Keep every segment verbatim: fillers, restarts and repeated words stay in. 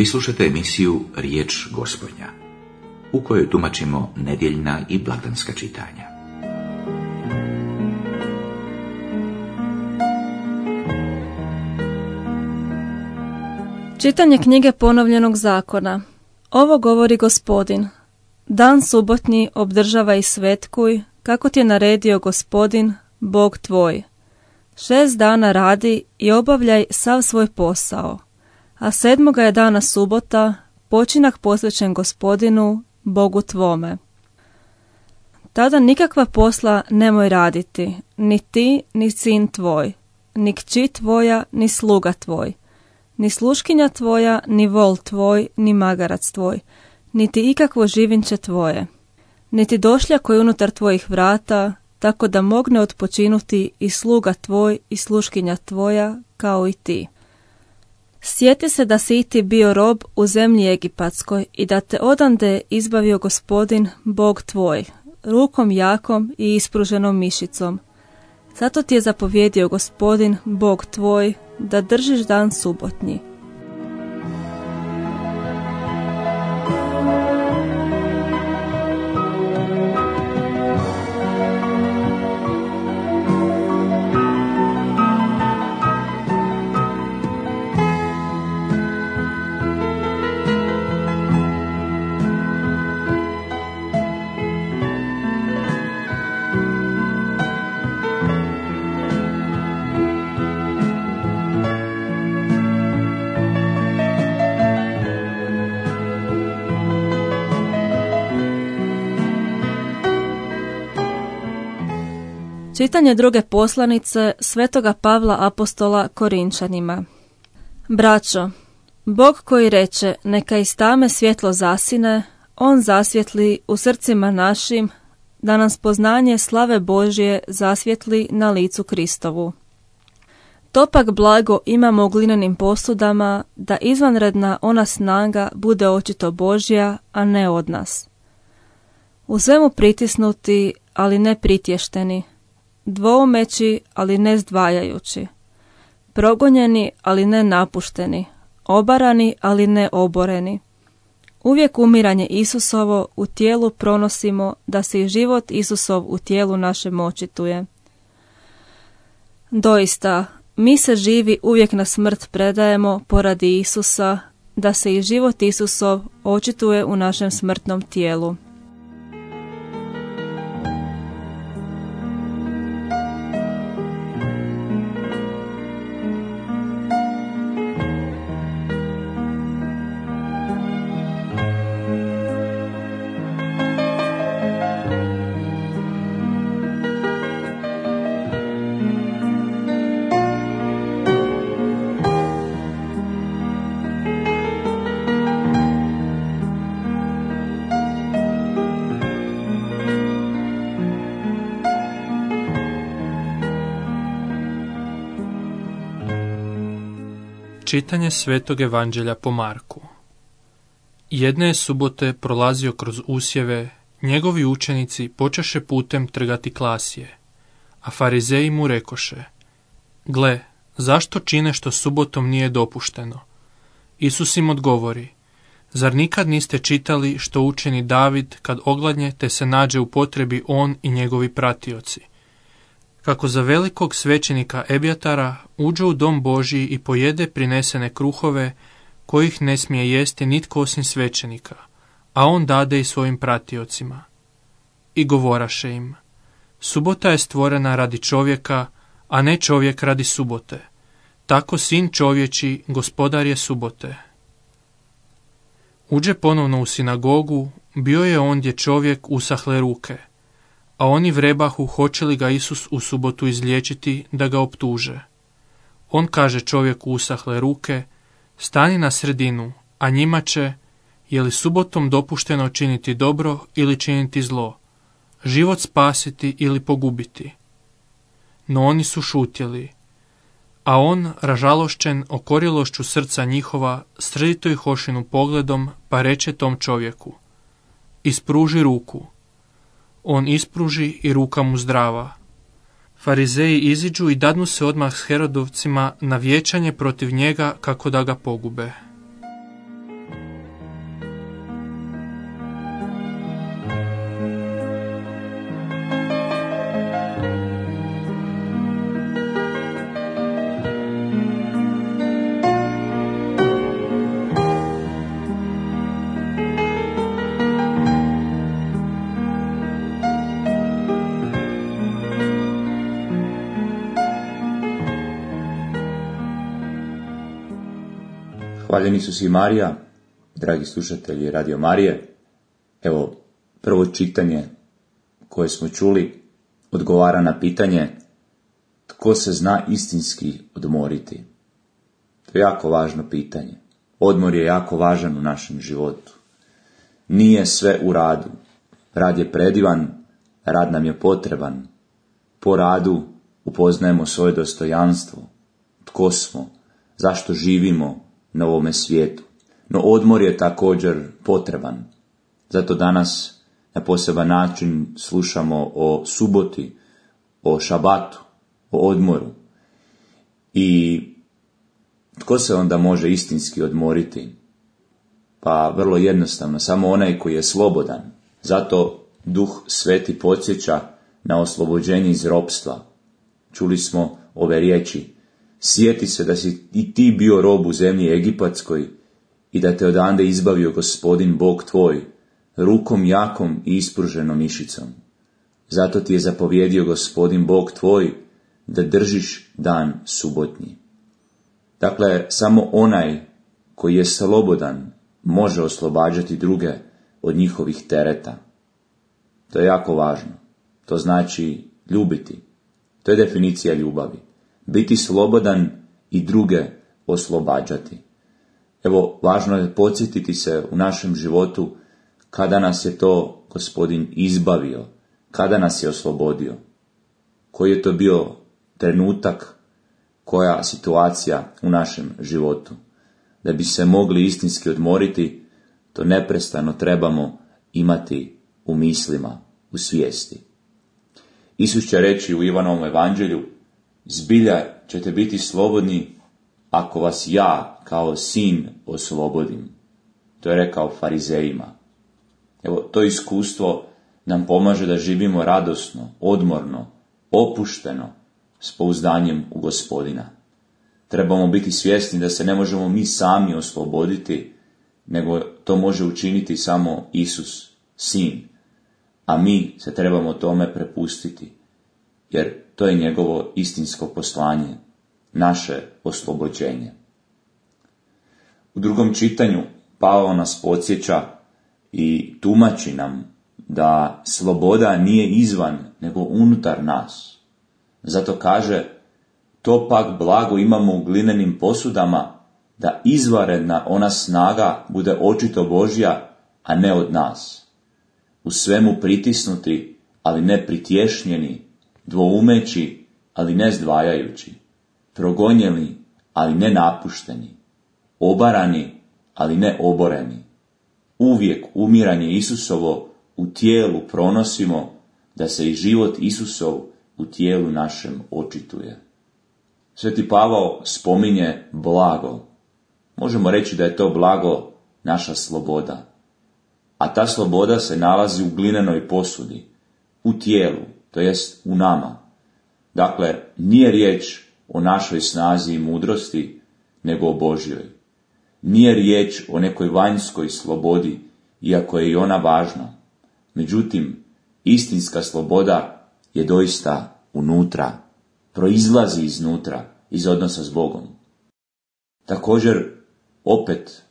Vi slušate emisiju Riječ Gospodnja, u kojoj tumačimo nedjeljna i blagdanska čitanja. Čitanje knjige Ponovljenog zakona. Ovo govori Gospodin. Dan subotnji obdržava i svetkuj, kako ti je naredio Gospodin, Bog tvoj. Šest dana radi i obavljaj sav svoj posao, a sedmoga je dana subota, počinak posvećen Gospodinu, Bogu tvome. Tada nikakva posla nemoj raditi, ni ti, ni sin tvoj, ni kći tvoja, ni sluga tvoj, ni sluškinja tvoja, ni vol tvoj, ni magarac tvoj, niti ikakvo živinče tvoje, niti došlja koji unutar tvojih vrata, tako da mogne odpočinuti i sluga tvoj i sluškinja tvoja, kao i ti. Sjeti se da si i ti bio rob u zemlji Egipatskoj i da te odande izbavio Gospodin, Bog tvoj, rukom jakom i ispruženom mišicom. Zato ti je zapovjedio Gospodin, Bog tvoj, da držiš dan subotnji. Čitanje druge poslanice Svetoga Pavla apostola Korinčanima. Braćo, Bog koji reče neka iz tame svjetlo zasine, on zasvjetli u srcima našim, da nam spoznanje slave Božje zasvjetli na licu Kristovu. To pak blago imamo u glinenim posudama, da izvanredna ona snaga bude očito Božja, a ne od nas. U svemu pritisnuti, ali ne pritješteni, dvoumeći, ali ne zdvajajući, progonjeni, ali ne napušteni, obarani, ali ne oboreni. Uvijek umiranje Isusovo u tijelu pronosimo, da se i život Isusov u tijelu našem očituje. Doista, mi se živi uvijek na smrt predajemo poradi Isusa, da se i život Isusov očituje u našem smrtnom tijelu. Čitanje Svetog Evanđelja po Marku. Jedne je subote prolazio kroz usjeve, njegovi učenici počeše putem trgati klasje, a farizeji mu rekoše: Gle, zašto čine što subotom nije dopušteno? Isus im odgovori: Zar nikad niste čitali što učini David kad ogladnje te se nađe u potrebi on i njegovi pratioci? Kako za velikog svećenika Ebjatara uđe u dom Božji i pojede prinesene kruhove, kojih ne smije jesti nitko osim svećenika, a on dade i svojim pratiocima. I govoraše im: Subota je stvorena radi čovjeka, a ne čovjek radi subote. Tako sin čovječi, gospodar je subote. Uđe ponovno u sinagogu, bio je ondje čovjek usahle ruke, a oni vrebahu hoće li ga Isus u subotu izliječiti da ga optuže. On kaže čovjeku usahle ruke: Stani na sredinu, a njima će: Je li subotom dopušteno činiti dobro ili činiti zlo, život spasiti ili pogubiti? No oni su šutjeli, a on, ražalošćen okorilošću srca njihova, srdito ih ošinu pogledom, pa reče tom čovjeku: Ispruži ruku. On ispruži i ruka mu zdrava. Farizeji iziđu i dadnu se odmah s Herodovcima na vijećanje protiv njega kako da ga pogube. Hvaljeni Isus i Marija, dragi slušatelji Radio Marije. Evo, prvo čitanje koje smo čuli odgovara na pitanje tko se zna istinski odmoriti. To je jako važno pitanje. Odmor je jako važan u našem životu. Nije sve u radu. Rad je predivan, rad nam je potreban. Po radu upoznajemo svoje dostojanstvo, tko smo, zašto živimo na ovome svijetu. No odmor je također potreban. Zato danas na poseban način slušamo o suboti, o šabatu, o odmoru. I tko se onda može istinski odmoriti? Pa vrlo jednostavno, samo onaj koji je slobodan. Zato Duh Sveti podsjeća na oslobođenje iz ropstva. Čuli smo ove riječi: sjeti se da si i ti bio rob u zemlji Egipatskoj i da te odande izbavio Gospodin Bog tvoj, rukom jakom i ispruženom mišicom. Zato ti je zapovjedio Gospodin Bog tvoj da držiš dan subotnji. Dakle, samo onaj koji je slobodan može oslobađati druge od njihovih tereta. To je jako važno. To znači ljubiti. To je definicija ljubavi. Biti slobodan i druge oslobađati. Evo, važno je podsjetiti se u našem životu kada nas je to Gospodin izbavio, kada nas je oslobodio, koji je to bio trenutak, koja situacija u našem životu. Da bi se mogli istinski odmoriti, to neprestano trebamo imati u mislima, u svijesti. Isus će reći u Ivanovom evanđelju: zbilja ćete biti slobodni ako vas ja kao sin oslobodim. To je rekao farizejima. Evo, to iskustvo nam pomaže da živimo radosno, odmorno, opušteno, s pouzdanjem u Gospodina. Trebamo biti svjesni da se ne možemo mi sami osloboditi, nego to može učiniti samo Isus, sin. A mi se trebamo tome prepustiti, jer to je njegovo istinsko poslanje, naše oslobođenje. U drugom čitanju Pavao nas podsjeća i tumači nam da sloboda nije izvan, nego unutar nas. Zato kaže: to pak blago imamo u glinenim posudama, da izvanredna ona snaga bude očito Božja, a ne od nas. U svemu pritisnuti, ali ne pritješnjeni, dvoumeći, ali ne zdvajajući, progonjeni, ali ne napušteni, obarani, ali ne oboreni. Uvijek umiranje Isusovo u tijelu pronosimo, da se i život Isusov u tijelu našem očituje. Sveti Pavao spominje blago. Možemo reći da je to blago naša sloboda. A ta sloboda se nalazi u glinenoj posudi, u tijelu, to jest u nama. Dakle, nije riječ o našoj snazi i mudrosti, nego o Božjoj. Nije riječ o nekoj vanjskoj slobodi, iako je i ona važna. Međutim, istinska sloboda je doista unutra, proizlazi iznutra, iz odnosa s Bogom. Također, opet,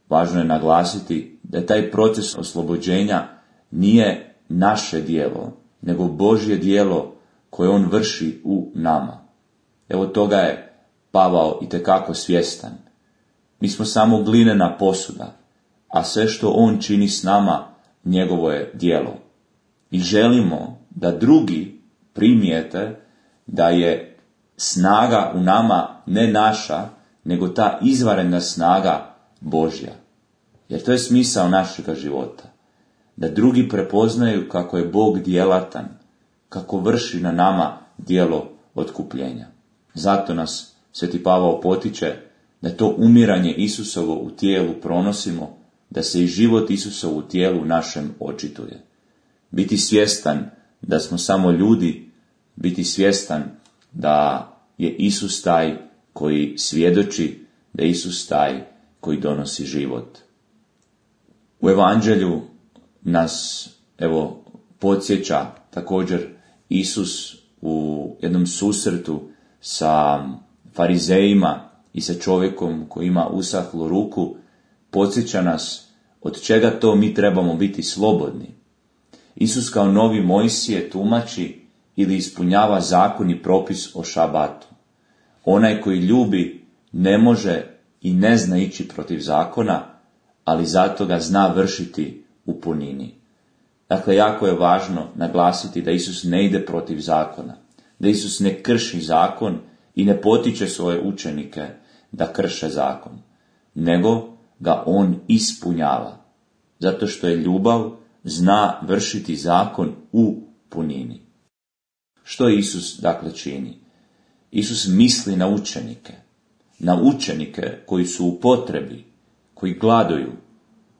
važno je naglasiti da je taj proces oslobođenja nije naše djelo, nego Božje djelo koje on vrši u nama. Evo toga je Pavao itekako svjestan. Mi smo samo glinena posuda, a sve što on čini s nama, njegovo je djelo. I želimo da drugi primijete da je snaga u nama ne naša, nego ta izvanredna snaga Božja. Jer to je smisao našega života. Da drugi prepoznaju kako je Bog djelatan, kako vrši na nama djelo otkupljenja. Zato nas Sveti Pavao potiče da to umiranje Isusovo u tijelu pronosimo, da se i život Isusov u tijelu našem očituje. Biti svjestan da smo samo ljudi, biti svjestan da je Isus taj koji svjedoči, da je Isus taj koji donosi život. U evanđelju nas, evo, podsjeća također Isus u jednom susretu sa farizejima i sa čovjekom koji ima usahlu ruku, podsjeća nas od čega to mi trebamo biti slobodni. Isus kao novi Mojsije tumači ili ispunjava zakon i propis o šabatu. Onaj koji ljubi ne može i ne zna ići protiv zakona, ali zato ga zna vršiti u punini. Dakle, jako je važno naglasiti da Isus ne ide protiv zakona, da Isus ne krši zakon i ne potiče svoje učenike da krše zakon, nego ga on ispunjava, zato što je ljubav zna vršiti zakon u punini. Što Isus dakle čini? Isus misli na učenike, na učenike koji su u potrebi, koji gladuju,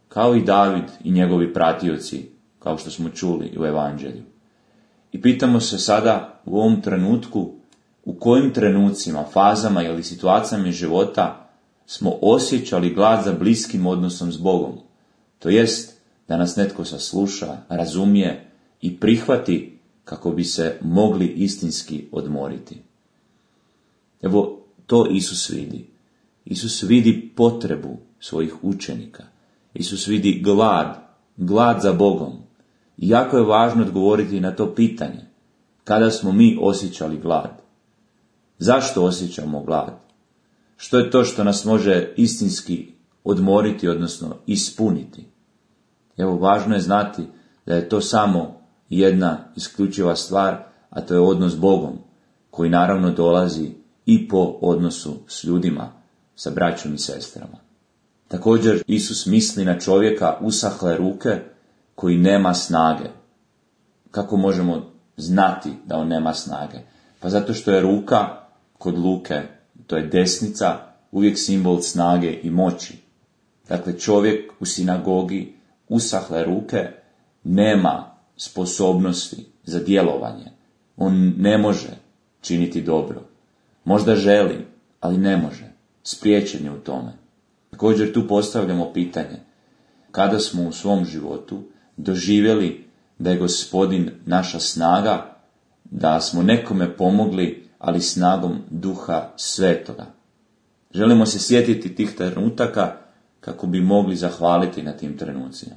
kao i David i njegovi pratioci, kao što smo čuli u Evanđelju. I pitamo se sada u ovom trenutku, u kojim trenucima, fazama ili situacijama života smo osjećali glad za bliskim odnosom s Bogom, to jest da nas netko sasluša, razumije i prihvati kako bi se mogli istinski odmoriti. Evo, to Isus vidi. Isus vidi potrebu svojih učenika. Isus vidi glad, glad za Bogom. I jako je važno odgovoriti na to pitanje. Kada smo mi osjećali glad? Zašto osjećamo glad? Što je to što nas može istinski odmoriti, odnosno ispuniti? Evo, važno je znati da je to samo jedna isključiva stvar, a to je odnos s Bogom, koji naravno dolazi i po odnosu s ljudima, sa braćom i sestrama. Također, Isus misli na čovjeka usahle ruke koji nema snage. Kako možemo znati da on nema snage? Pa zato što je ruka kod Luke, to je desnica, uvijek simbol snage i moći. Dakle, čovjek u sinagogi usahle ruke nema sposobnosti za djelovanje. On ne može činiti dobro. Možda želi, ali ne može. Spriječen je u tome. Također tu postavljamo pitanje, kada smo u svom životu doživjeli da je Gospodin naša snaga, da smo nekome pomogli, ali snagom Duha Svetoga. Želimo se sjetiti tih trenutaka kako bi mogli zahvaliti na tim trenucima.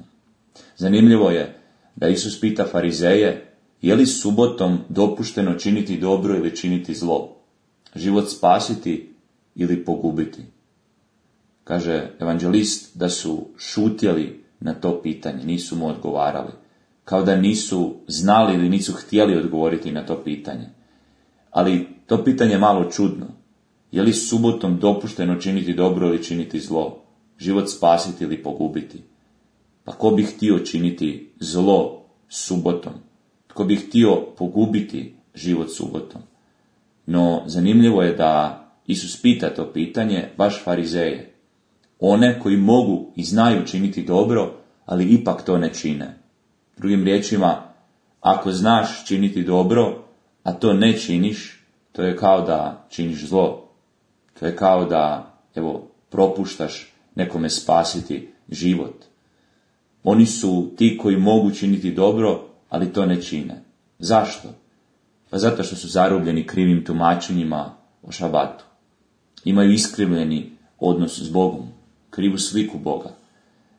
Zanimljivo je da Isus pita farizeje, je li subotom dopušteno činiti dobro ili činiti zlo, život spasiti ili pogubiti. Kaže evanđelist da su šutjeli na to pitanje, nisu mu odgovarali, kao da nisu znali ili nisu htjeli odgovoriti na to pitanje. Ali to pitanje je malo čudno. Je li subotom dopušteno činiti dobro ili činiti zlo, život spasiti ili pogubiti? Pa ko bi htio činiti zlo subotom? Tko bi htio pogubiti život subotom? No, zanimljivo je da Isus pita to pitanje baš farizeje. One koji mogu i znaju činiti dobro, ali ipak to ne čine. Drugim riječima, ako znaš činiti dobro, a to ne činiš, to je kao da činiš zlo. To je kao da, evo, propuštaš nekome spasiti život. Oni su ti koji mogu činiti dobro, ali to ne čine. Zašto? Pa zato što su zarobljeni krivim tumačenjima o šabatu. Imaju iskrivljeni odnos s Bogom, krivu sliku Boga.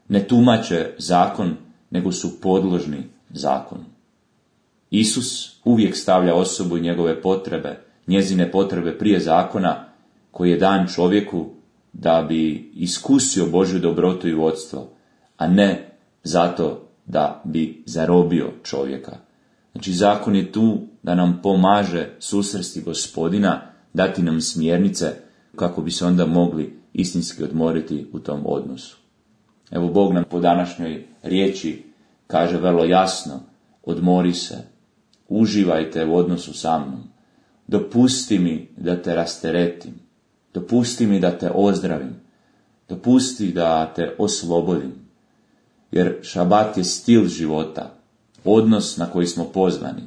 Ne tumače zakon, nego su podložni zakonu. Isus uvijek stavlja osobu i njegove potrebe, njezine potrebe prije zakona, koji je dan čovjeku da bi iskusio Božju dobrotu i vodstvo, a ne zato da bi zarobio čovjeka. Znači, zakon je tu da nam pomaže susresti Gospodina, dati nam smjernice kako bi se onda mogli istinski odmoriti u tom odnosu. Evo, Bog nam po današnjoj riječi kaže vrlo jasno, odmori se, uživajte u odnosu sa mnom, dopusti mi da te rasteretim, dopusti mi da te ozdravim, dopusti da te oslobodim, jer šabat je stil života, odnos na koji smo pozvani,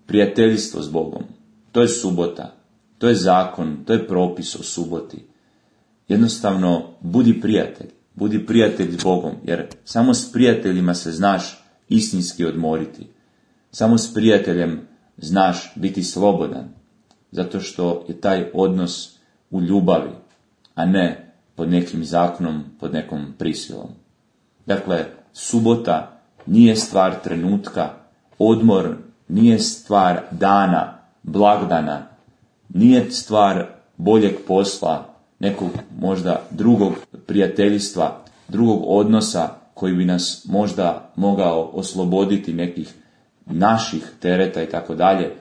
prijateljstvo s Bogom, to je subota, to je zakon, to je propis o suboti. Jednostavno, budi prijatelj, budi prijatelj s Bogom, jer samo s prijateljima se znaš istinski odmoriti. Samo s prijateljem znaš biti slobodan, zato što je taj odnos u ljubavi. a ne pod nekim zakonom, pod nekom prisilom. Dakle, subota nije stvar trenutka, odmor nije stvar dana, blagdana, nije stvar boljeg posla, nekog možda drugog prijateljstva, drugog odnosa koji bi nas možda mogao osloboditi nekih naših tereta i tako dalje,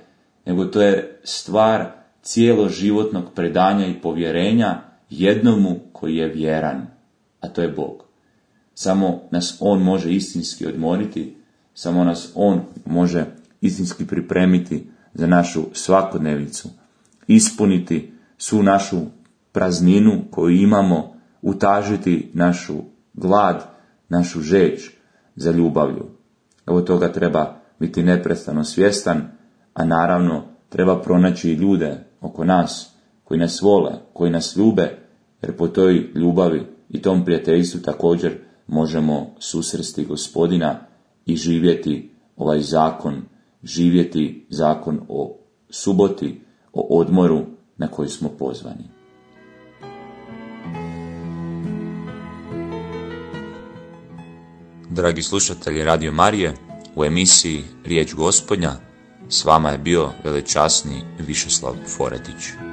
nego to je stvar cijeloživotnog predanja i povjerenja jednomu koji je vjeran, a to je Bog. Samo nas On može istinski odmoriti, samo nas On može istinski pripremiti za našu svakodnevicu, ispuniti svu našu prazninu koju imamo, utažiti našu glad, našu žeđ za ljubavlju. Evo toga treba biti neprestano svjestan, a naravno treba pronaći i ljude oko nas koji nas vole, koji nas ljube, jer po toj ljubavi i tom prijateljstvu također možemo susresti Gospodina i živjeti ovaj zakon, živjeti zakon o suboti, o odmoru na koji smo pozvani. Dragi slušatelji Radio Marije, u emisiji Riječ Gospodnja s vama je bio velečasni Višeslav Foretić.